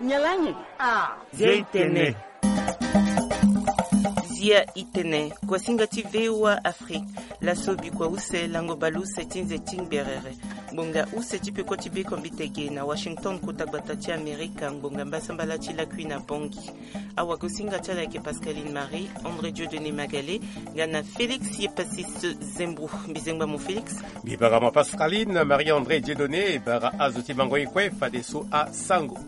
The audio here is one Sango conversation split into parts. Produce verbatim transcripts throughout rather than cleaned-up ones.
Nyen lani? Ah. Zia i tene. Zia i tene. Kuasinga ti V O A Afrique. Laso bikua use lango baleuse ti nze ti ngberere. Ngbonga use ti peko ti bekombite ge na Washington, kota gbata ti Amerika, ngbonga mbasambala ti lakui na Bangui. Awagosinga ti ala ayeke Pascaline Marie, André Dieudonné Magalé, nga na Félix Yepassis Zembrou. Mbizengba mo Félix. Mbi bara mo Pascaline Marie, André Dieudonné, bara azo ti mango ye kue fadeso asango.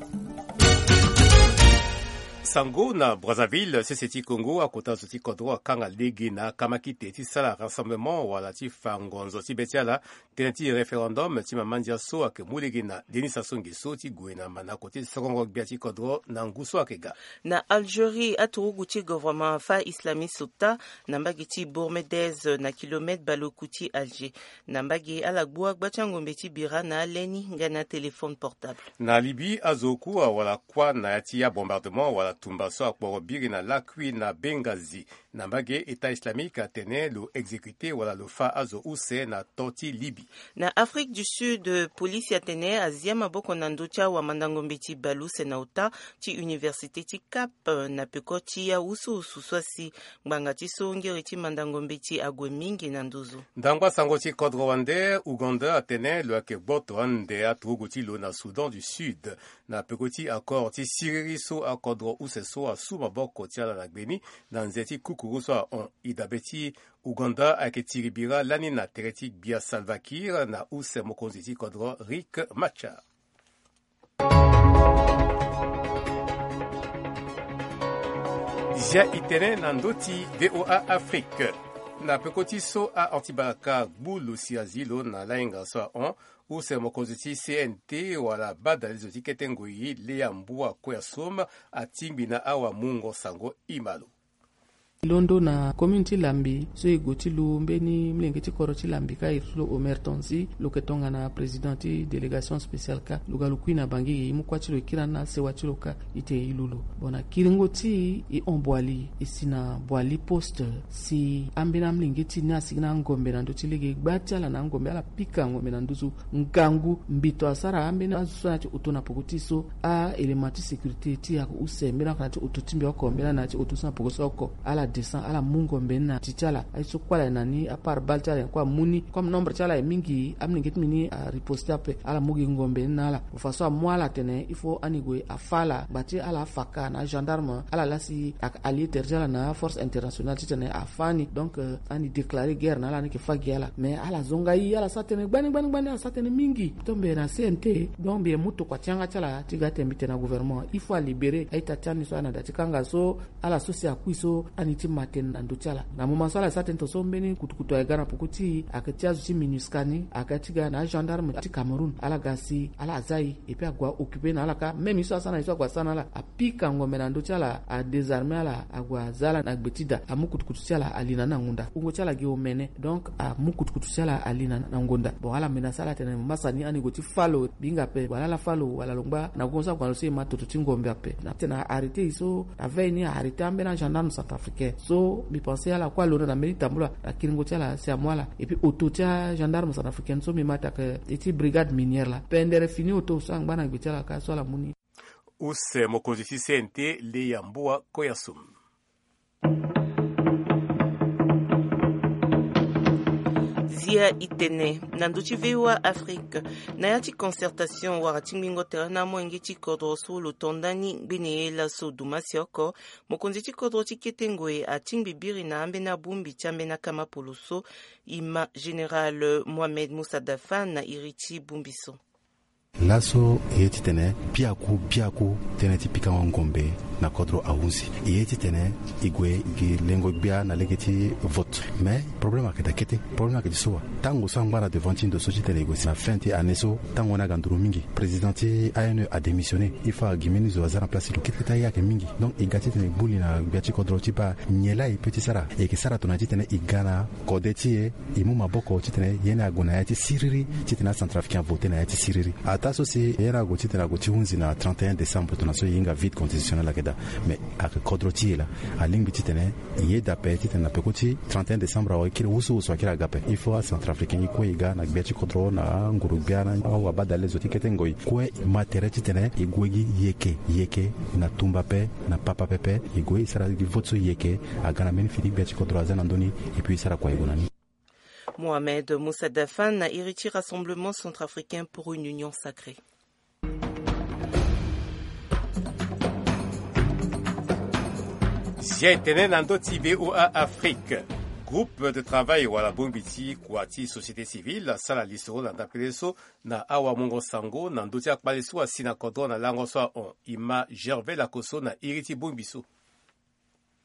Sango na Brazzaville, sese ti Congo, akota zo ti kodro akanga lege na akamakite ti sala rassemblement wala ti fa ngonzo ti be ti ala. Tënë ti référendum ti mama ndia so ayeke mu lege na Denis Sassou Nguesso ti gue na manako ti sokongo gbia ti kodro na ngu so ayeke ga. Na Algérie, aturugu ti gouvernement afa islamiste ota na mbage ti Bourmedez, na kilomètre baleoku ti Alger. Na mbage ala gbu agba ti angombe ti bira na aleni nga na téléphone portable. Na Libye, azo oku awara kuâ na ya ti abombardement wala tumba so akporo biri na lakui na Benghazi. Na mbage, État islamique atene lo exécuter wala lo fa azo use na to ti Libye. Na Afrique du Sud, polisi atene azia maboko na ndö ti awamandangombe ti baleuse na ota ti université ti Cap, na peko ti awusuwusu so asi. Ngbanga ti so ngeri ti mandangombe ti ague mingi na nduzu. Ndangba sango ti kodro wande, Ouganda atene lo yeke gboto ande aturugu ti lo na Soudan du Sud. Na peko ti accord ti siriri so akodro use so asu maboko ti ala na gbeni na nze ti kukuru so ahon, e dabe ti Ouganda ayeke tiri bira lani na tere ti gbia Salva Kiir na use mokonzi ti kodro Riek Machar. Zia i tene na ndö ti V O A Afrique. Na peko ti so ahon ti balaka gbu lo si azi lo na lahinga so ahon, use mokonzi ti C N T wala badalezo ti kete ngoi Léa Mboua Koyasum atingbi na awamungo sango. I ma lo. Londo na commune ti Lambi so e gue ti lu mbeni molenge ti kodro ti Lambi ka iri ti lo Omer Tonzi, lo yeke tongana président ti délégation spéciale ka. Lo ga lo kui na Bangui, e mu kuâ ti lo e kiri na asewa ti lo ka. E tene e lu lo. Bon, na kiringo ti e, e hon Boali, e si na Boali poste, si ambeni amolenge ti e ni asigi na angombe na ndö ti lege. Gba ti ala na angombe, ala pika ngombe na nduzu ngangu. Mbito asara ambeni azo so na ya ti oto na peko ti e so, a-élément ti sécurité ti e ayeke use mbeni oko na ya ti oto ti mbi oko, mbeni na ya ti oto so na peko so oko. Ala descend, ala mu ngombe ni na ti ti ala. Aye so kue ala ye na ni, apart balle ti ala ye kue amu ni. Comme nombre ti ala ye mingi, amolenge ti mbi ni ariposte ape. Ala mu gi ngombe ni na ala. Façon amu ala atene il faut ani gue afa ala. Ngba ti ala afa ka na agendarme, ala laa si ayeke allié tere ti ala na aforce internationale titene afa ani. Donc, euh, ani déclarer guerre na ala, ani yeke fa gi ala. Mais ala zonga e, ala sara tënë gbani gbani gbani, ala sara tënë mingi. Tombe na C N T, donc mbi ye mu tokua ti yanga ti ala ti ga tene mbi tene na gouvernement, il faut alibérer a-ita ti ani so ayeke na da ti kanga so. Ala so si akui so, ani ti ma tënë na ndö ti ala. Na moment so ala sara tënë tongaso, mbeni kutukutu aye ga na peko ti e, ayeke ti azo ti MINUSCA ni, ayeke ti ga na agendarme ti Cameroun. Ala ga si ala za e, et puis ague a-occuper na ala ka. Même ye so asara na e so ague asara na ala, apika ngombe na ndö ti ala, adésarmer ala, ague aza ala na gbe ti da, amu kutukutu ti ala ali na ni na ngonda. Wungo ti ala gi omene. Donc amu kutukutu ti ala ali na, na ngonda. Bon, ala menacer ala tene, masani ani gue ti fa lo, bi hinga ape, wala ala fa lo, wala lo ngba na gongo so ague na lo so e ma toto ti ngombe ape. Na tene a-arrêter e so, la veille ni a-arrêter ambeni agendarme centrafricain. So mbi pense ala kue alondo na mbeni tambula na kiringo ti ala si amu ala. Et puis oto ti agendarme centrafricaine so mbi ma atake e ti brigade minière laa. Pendere fini oto so angba na gbe ti ala ka so ala mu ni. Use mokonzi ti C N T, Léa Mboua Koyasum. Zia i tene na ndö ti V O A Afrique, na ya ti concertation wala tingbingo tere na amolenge ti kodro so lo to ndani ngbene ye laso dumasia oko, mokonzi ti kodro ti kete ngoi atingbi biri na ambeni abongbi ti ambeni akamapolo so, e ma Général Mohamed Moussa Dafa na iri ti bongbi so. Laso e ye titene biaku biaku tënë ti pikango ngombe na kodro ahunzi. E ye titene e gue gi lengo gbia na lege ti vote. Mais problème ayeke daa kete. Problème ayeke ti so wa. Tango so angba na devant ti ndo so titene e gue si na fin ti année so, tango ni aga nduru mingi. Président ti A N E adémissionné. Il faut agi mbeni zo aza na place ti lo. Kete kete aye ayeke mingi. Donc e ga titene e gbu li na gbia ti kodro ti baa nyen laa e peut ti sara. E yeke sara tongana titene e ga na kode ti e, e mu maboko titene ye ni ague na ya ti siriri, titene acentrafricain avote na ya ti siriri. Ataa so si ye ni ague titene ague ti hunzi na trente et un décembre, tongana so e hinga vide constitutionnel ayeke daa. Mais ayeke kodro ti e laa. Alingbi titene e yeda ape titene na peko ti trente et un décembre awe, kiri wusuwusu akiri aga ape. Il faut acentrafricain e kue e ga na gbia ti kodro, na anguru gbia, na awabadale zo ti kete ngoi kue, e ma tere titene e gue gi yeke yeke, na tumba ape, na papa pepe, e gue e sara gi vote so yeke aga na mbeni fini gbia ti kodro aza na ndö ni. Et puis e sara kua e gue na ni. Mohamed Moussa Dafan na iri ti Rassemblement Centrafricain pour une Union Sacrée. Zia etene na ndö ti V O A Afrique. Groupe de travail wala bongbi ti kua ti société civile asara lisoro na ndapele so na awamungo sango na ndö ti akpale so asi na kodro na lango so ahon. E ma Gervais Lakoso na iri ti bongbi so.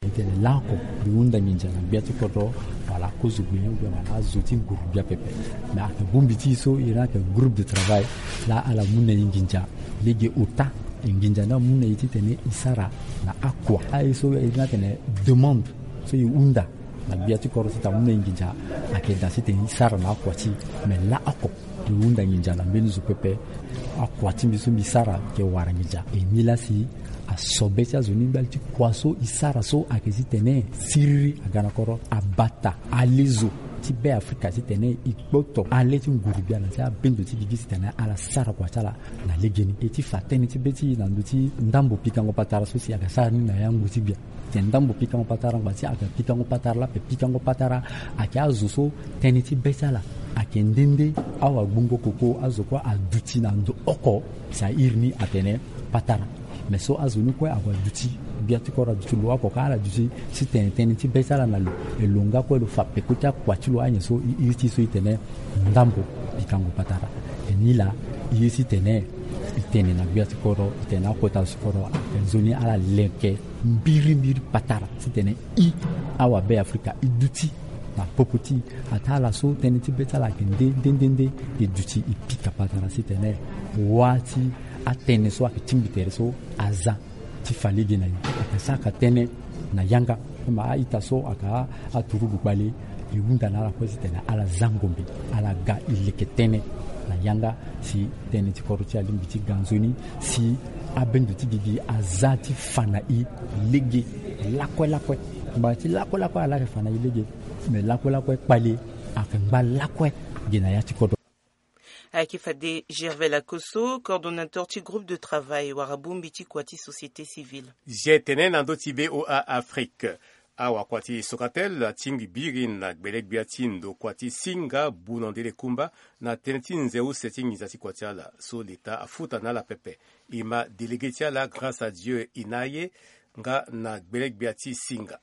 Titene laoko mbi hunda nginza na gbia ti kodro wala kozo gbia ni ou bien wala azo ti nguru gbia pepe. Mais ayeke bongbi ti e so e na ayeke groupe de travail laa ala mu na e nginza lege ota. E nginza ni amu na e titene e sara na akua aye so e na atene demande so e hunda na gbia ti kodro titene amu na e nginza ayeke daa titene e sara na akua ti e. Mais laoko e hunda nginza na mbeni zo pepe. Akua ti mbi so mbi sara ayeke wara nginza. E ni laa si asobe ti azo ni mbali ti kua so e sara so ayeke titene siriri aga na kodro, abata alezo ti Be Afrika titene e kpoto ale ti nguru gbia na ti abendo ti gigi titene ala sara kua ti ala na legeni. E ti fa tënë ti be ti e na ndö ti ndambo pikango patara so si aga sara ni na ya ngu ti gbia. Tene ndambo pikango patara ngba ti aga pikango patara laa ape. Pikango patara ayeke azo so tënë ti be ti ala ayeke nde nde. Awagbongo koko azo kue aduti na ndo oko si a iri ni atene patara. Mais so azo ni kue ague aduti, gbia ti kodro aduti lo oko ka ala duti si tene tënë ti be ti ala na lo. E lo nga kue lo fa peko ti akua ti lo anyen so e iri ti e so e tene ndambo pikango patara. E ni laa e ye titene e tene na gbia ti kodro, e tene na akota zo ti kodro, ayeke nzoni ala leke mbirimbiri patara titene e awabe Afrika e duti na popo ti e. Ataa ala so tënë ti be ti ala ayeke nde nde nde nde, e duti e pika patara titene wâ ti atënë so ayeke tingbi tere so aza ti fa lege na e. Ayeke saka tënë na yanga. Ma a-ita so ayeke aturugu kpale, e hunda na ala kue titene ala za ngombe, ala ga e leke tënë na yanga si tënë ti kodro ti e alingbi ti ga nzoni, si abendo ti gigi aza ti fa na e lege lakue lakue. Ngba ti lakue lakue ala yeke fa na e lege. Mais lakue lakue kpale ayeke ngba lakue ge na ya ti kodro. Ayeke fade Gervais Lakoso, coordonnateur ti groupe de travail wara bongbi ti kua ti société civile. Zia etene na ndö ti V O A Afrique. Awakua ti Socatel atingbi biri na gbele-gbia ti ndo kua ti Singa Bunondele Kumba na tënë ti nze use ti nginza ti kua ti ala so leta afuta na ala pepe. E ma délégué ti ala Grâce à Dieu Inaye nga na gbele-gbia ti Singa.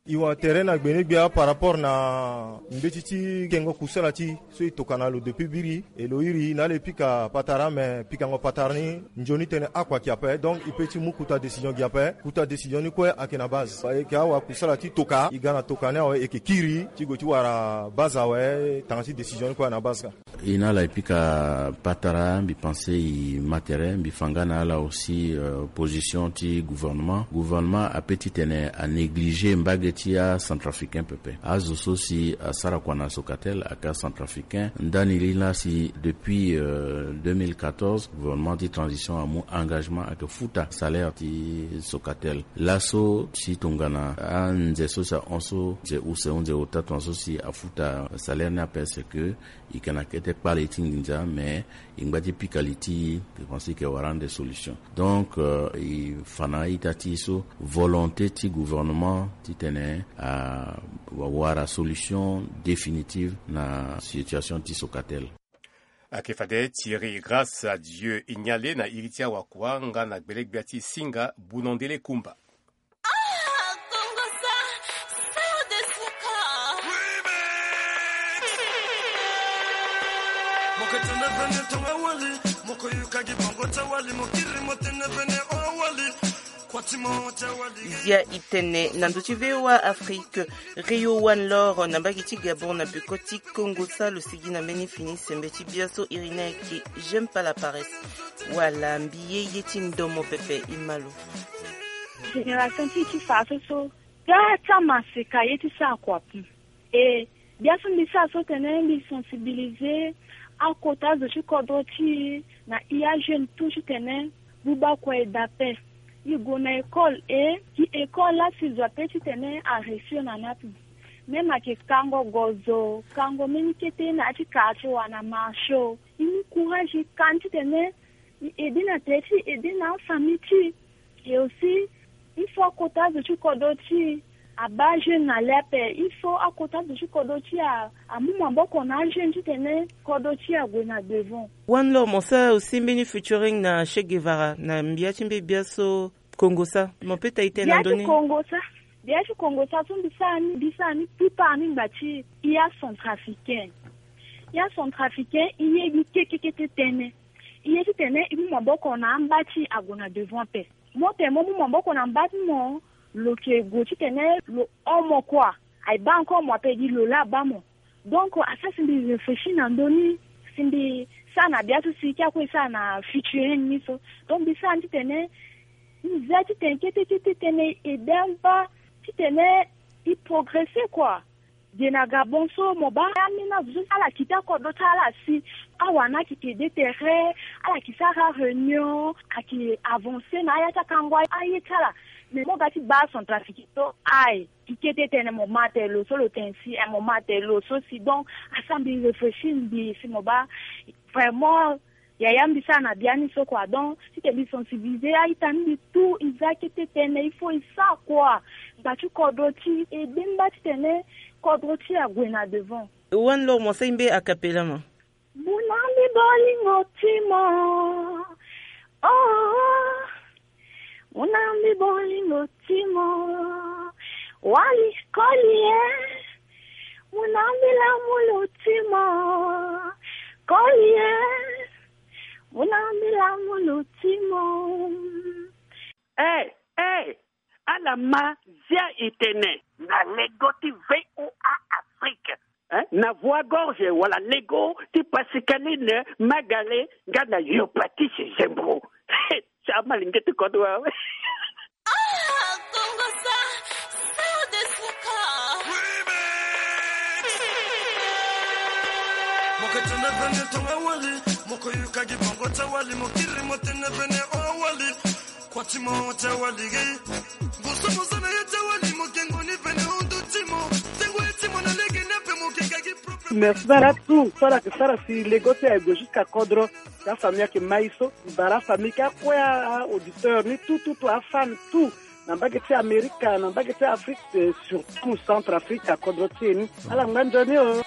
E wara tere na gbele-gbia par rapport na mbeti ti kengo kusala ti so e toka na lo depuis biri, e lo iri na ala e pika patara, me pikango patara ni nzoni tënë akua ayeke ape. Donc e pe ti mu kuta décision gi ape. Kuta décision ni kue ayeke na base, e yeke awara kusala ti toka, e ga na toka ni awe, e yeke kiri ti gue ti wara base awe. Tanga ti décision ni kue ayeke na base ka. E na ala e pika patara, mbi pense e ma tere. Mbi fa nga na ala aussi, euh, position ti gouvernement. Gouvernement ape titene anéglige mbage ti acentrafricain pepe. Azo so si asara kua na Socatel ayeke acentrafricain. Ndani li laa si depuis, euh, deux mille quatorze, gouvernement ti transition amu engagement ayeke futa salaire ti Socatel. Laso si tongana anze so si ahon so, nze use ou nze ota, tongana so si afuta salaire ni ape, c'est que e yeke na kete kpale ti nginza, mais e ngba ti pika li ti e, e pense e yeke wara ande solution. Donc, euh, e fa na a-ita ti e so volonté ti gouvernement titene awara solution définitive na situation ti Socatel. Ayeke fade Thierry Grâce à Dieu Ignale na iri ti awakua nga na gbele-gbia ti Singa Bunondele Kumba. Zia e tene na ndö ti V O A Afrique. Rio One Lor na mbage ti Gabon na peko ti Kongo sa lo sigi na mbeni fini sembe ti bia so iri ni ayeke J'aime pas la paresse. Wala mbi ye ye ti ndomo pepe, e ma lo. Génération ti e ti fa so so, bia ti amaseka ye ti sara kua ape. E bia so mbi sara so tene mbi sensibiliser akota zo ti kodro ti e na e ajeune tout titene buba kua e daa ape. E gue na école e gi école laa si zo ape titene aresio na ni ape. Même ayeke kango gozo, kango mbeni kete na ya ti kara ti wa na marché o. E mu courage e ka ni titene e aide na tere ti e, aide na afamille ti e. Et aussi il faut akota zo ti kodro ti e abaa jeune na le ape. Il faut akota zo ti kodro ti e amu maboko na ajeune titene kodro ti e ague na devant. One love mo sara aussi mbeni featuring na Che Guevara na mbia ti mbi bia so Kongo sa mo pe ta ite na ndoni. Kongo sa. Bia ti Kongo sa so mbi sara ni, mbi sara ni plupart ni ngba ti e ya centrafricain. E ya centrafricain e ye gi kekekete tënë. E ye titene e mu maboko na amba ti e ague na devant ape. Mo tene mo mu maboko na mba ti mo, lo yeke gue titene lo hon mo kua. Aye baa encore mo ape gi lo laa abaa mo. Donc asara si mbi réfléchir na ndö ni, si mbi sara na bia so si e ke akue e sara na featuring ni so. Donc mbi sara ni titene mbi za titene kete kete tënë e aide amba titene e progresser kua. Ge na Gabon so mo baa ambeni azo so ala kita kodro ti ala si awara ni ayeke aide tere, ala yeke sara réunion, ayeke avancer na aya ti akango aye ti ala. Mais mo ga ti baa Centrafrique so aye, e kete tënë mo ma tene lo so lo tene si, eh, mo ma tene lo so si. Donc asara mbi réfléchir mbi si mo baa vraiment yaya mbi sara na bia ni so kua. Donc titene mbi sensibiliser a-ita ni mbi tout e za kete tënë il faut e sara kua. Ngba ti kodro ti e, e aide mba titene kodro ti e ague na devant. One love mo sara mbi a cappella ma. Muna mbi bolingo ti mo. Oh, muna mbi bolingo ti mo. Wali koli e. Muna mbi lamulu ti mo. Koli e. Muna mbi lamulu ti mo. Eh, eh, ala ma zia e tene. Na lego ti V O A Afrique. Eh? Na voix gorge wala lego ti Pascaline Magale nga na Yopatise Zembro. Ti amalenge ti kodro awe. Ah, Kongo sa, sa de suka. Remix. Mo ke tene bene tonga wali, mo ke yuka gi bongo ta wali, mo kiri mo tene bene o wali. Kua ti mo ta wali gi. Boso mo za na ye ta wali, mo kengo ni bene o ndo ti mo. Tengo ye ti mo na lege ni ape mo ke ga gi problème. Merci bara tout, so ala yeke sara si lego ti aye gue jusqu'à kodro. Ti afamille ayeke ma e so, e bara afamille ti akue a-auditeur ni tout, tout, tout, afan tout, na mbage ti Amerika, na mbage ti Afrique, eh, surtout Centrafrique, akodro ti e ni. Ala ngba nzoni o.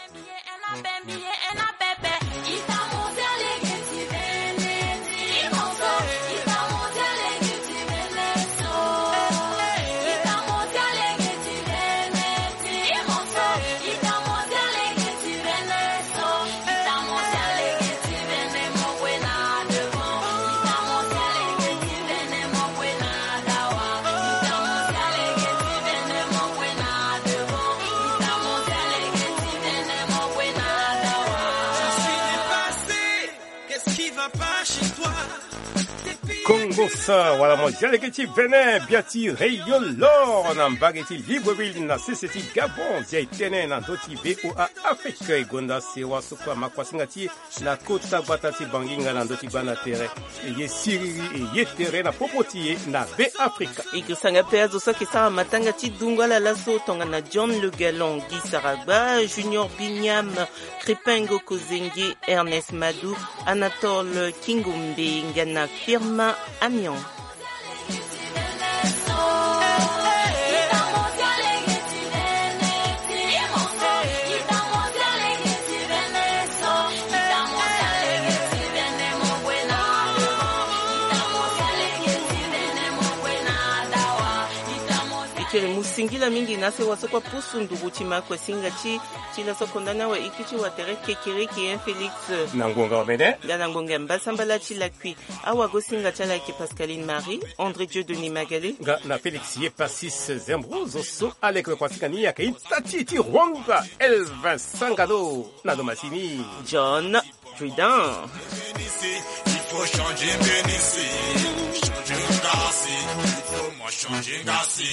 Kongo sa wala mo zia lege ti Bénin, bia ti Rio Lor na mbage ti Libreville na sese ti Gabon. Zia e tene na ndö ti V O A Afrique. E gonda sewa so kue ama kuasinga ti e na kota gbata ti Bangi nga na ndö ti gbanda tere. E ye siriri, e ye tere na popo ti e na Be Afrika. E ke sanga pe azo so ayeke sara matanga ti dungo ala laso tongana John Le Galon, Guy Saragba, Junior Bignam, Kripengo Kozenge, Ernest Madou, Anatole Kingombe nga na Firmin Amian. E kiri mu singila mingi na sewa so kue pusu nduru ti ma kue singa ti ti laso konda ni awe, e kiri ti wa tere kekereke, hein, Félix. Na ngonga omene. Nga na ngonga mbasambala ti lakui. Awagosinga ti ala ayeke Pascaline Marie, André Dieu Denis Magale. Nga na Félix Yepasis Zembro, zo so aleke lo kuasinga ni ayeke ita ti e ti Rwanga, Elvin Sangano, na lo masini John Prudent. Il faut changer, Bénin, si. Changer, Ngassi. Il faut moi changer, Ngassi.